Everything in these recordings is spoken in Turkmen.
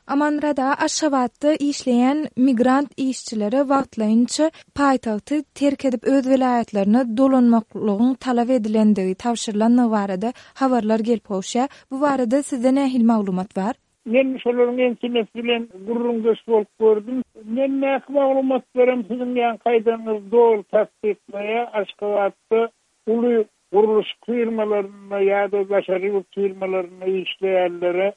Amanmyrat aga, Aşgabatda işleýän migrant işçilere wagtlaýynça paýtagty terk edip öz welaýatlaryna dolanmaklygyň talap edilendigi, tabşyrylandygy barada habarlar gelip gowuşýar. Bu barada sizde nähili maglumat bar? Men şolaryň ençemesi bilen gürrüňdeş bolup gördüm. Mendäki maglumatlaram siziň ýaňky aýdanyňyzy doly tassyklaýar. Aşgabatda uly gurluşyk firmalarynda ýa-da daşary ýurt firmalarynda işleýänlere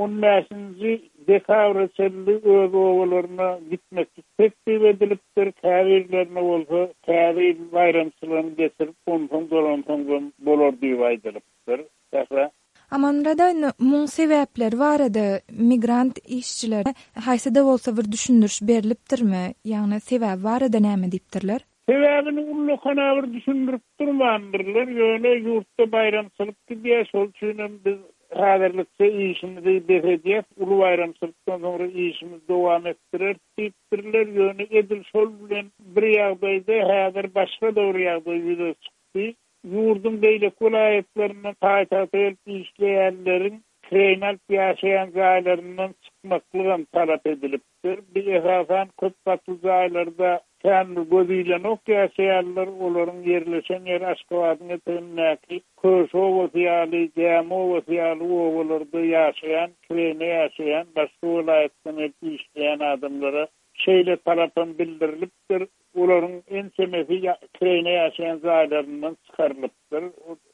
on bäşinji dekabra çenli öz obalaryna gitmeklik teklip edilipdir, käbirlerine bolsa Täze ýyl baýramçylygyny geçirip, onsoň dolansaňzam bolar diýip aýdylypdyr. Sähra. Amanmyrada indi muň sebäpleri barada migrant işçilere haýsy-da bolsa bir düşündiriş berlipdirmi? Ýagny sebäbi barada näme diýipdirler? Sebäbini ullakana bir düşündirip durmandyrlar, ýöne ýurtda baýramçylyk gidýär, şol üçinem biz häzirlikçe işimizi bes edýäs, uly baýramçylykdan soňra işimizi dowam etdireris diýipdirler, ýöne edil şol bilen bir ýagdaýda häzir başga-da bir ýagdaý ýüze çykdy. Ýurduň beýleki welaýatlaryndan paýtagta gelip işleýänleriň kireýine alyp ýaşaýan jaýlaryndan çykmaklygam talap edilipdir. Bu esasan köp gatly jaýlarda kän bir göz ilenok ýaşaýanlar, olaryň ýerleşen ýeri Aşgabadyň etegindäki Köşi obasy ýaly, Gämi obasy ýaly obalarda ýaşaýan, kireýine ýaşaýan, başga welaýatdan gelip işleýän adamlara Şeýle talapam bildirilipdir, olaryň ençemesi kireýine ýaşaýan jaýlaryndan çykarylypdyr.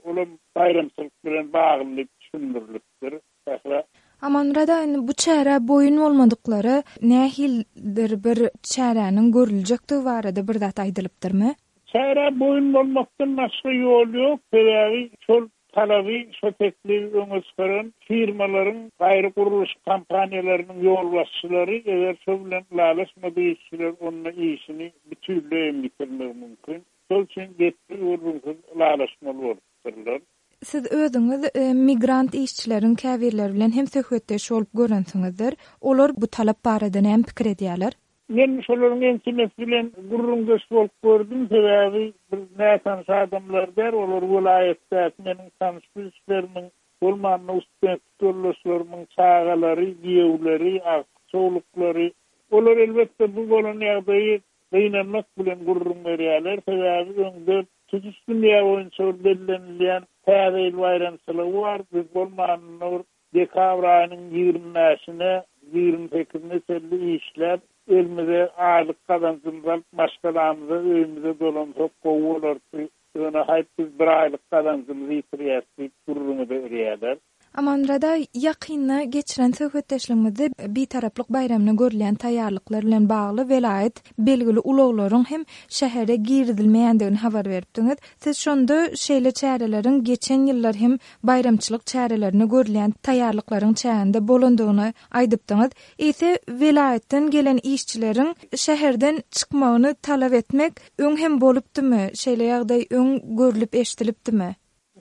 Olam baýramçylyk bilen bagly diýip düşündirilipdir. Sähra. Amanmyrat aga, indi bu çärä boýun bolmadyklara nähilidir bir çäräniň görüljekdigi barada bir zat aýdylypdyrmy? Çärä boýun bolmakdan başga ýol ýok, sebäbi şol Talaby şo teklibi öňe çykaran firmalaryň, gaýry gurluşyk kompaniýalarynyň ýolbaşçylary eger şo bilen ylalaşmadyk işçiler onda işini bütünleý hem ýitirmegi mümkin. Şol üçin gepsiz-gürrüňsiz ylalaşmaly bolupdyrlar. Siz özüňiz migrant işçileriň käbirleri bilen hem söhbetdeş bolup görensiňizdir. Olar bu talap barada näme pikir edýärler? Men şolaryň ençemesi bilen gürrüňdeş bolup gördüm, sebäbi bir nätanyş adamlar däl, olar welaýatdaky meniň tanyş-bilişlerimiň, bolmanda ustudentlik ýoldaşlarymyň çagalary, giýewleri, agtyk-çowluklary. Olar elbetde bu bolan ýagdaýy gynanmak bilen gürrüň berýärler, sebäbi öňde tutuş dünýä boýunça bir bellenilýän Täze ýyl baýramçylygy bar, biz bolmanynda bir Dekabr aýynyň 20 bäşine, 20 sekizine çenli işläp, elimize aýlyk gazanjymyzy alyp, maşgalamyza, öýümize dolansak gowy bolardy. Ýöne haýp biz bir aýlyk gazanjymyzy ýitirýäs diýip gürrüňe berýärler. Amanmyrat aga, ýakynda geçiren söhbetdeşligimizde Bitaraplyk baýramyna görülýän taýýarlyklar bilen bagly welaýat belgili ulaglaryň hem şähere girizilmeýändigini habar beripdiňiz. Siz şonda şeýle çäreleriň geçen ýyllar hem baýramçylyk çärelerine görülýän taýýarlyklaryň çäginde bolandygyny aýdypdyňyz. Eýse, welaýatdan gelen işçileriň şäherden çykmagyny talap etmek öň hem bolupdymy? Şeýle ýagdaý öň görlüp-eşidilipdimi?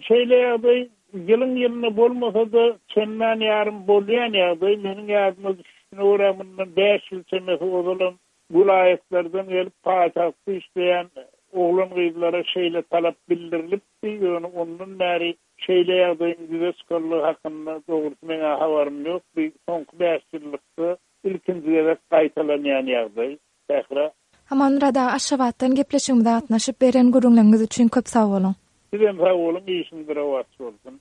Şeýle ýagdaý ýylyň-ýylyna bolmasa-da, çendan ýarym bolýan ýagdaý. Meniň ýadyma düşüşine görä, mundan bäş ýyl çemesi ozalam Welaýatlardan gelip paýtagtda işleýän oglan-gyzlara şeýle talap bildirilipdi, ýöne ondan bäri şeýle ýagdaýyň ýüze çykanlygy hakynda dogrusy meň-ä habarym ýok. Bu soňky bäşýyllykda ilkinji gezek gaýtalanýan ýagdaý. Sähra. Amanmyrat aga Aşgabatdan gepleşigimize gatnaşyp beren gürrüňleriňiz üçin köp sag boluň. Sizem sag boluň işiňiz rowaç bolsun.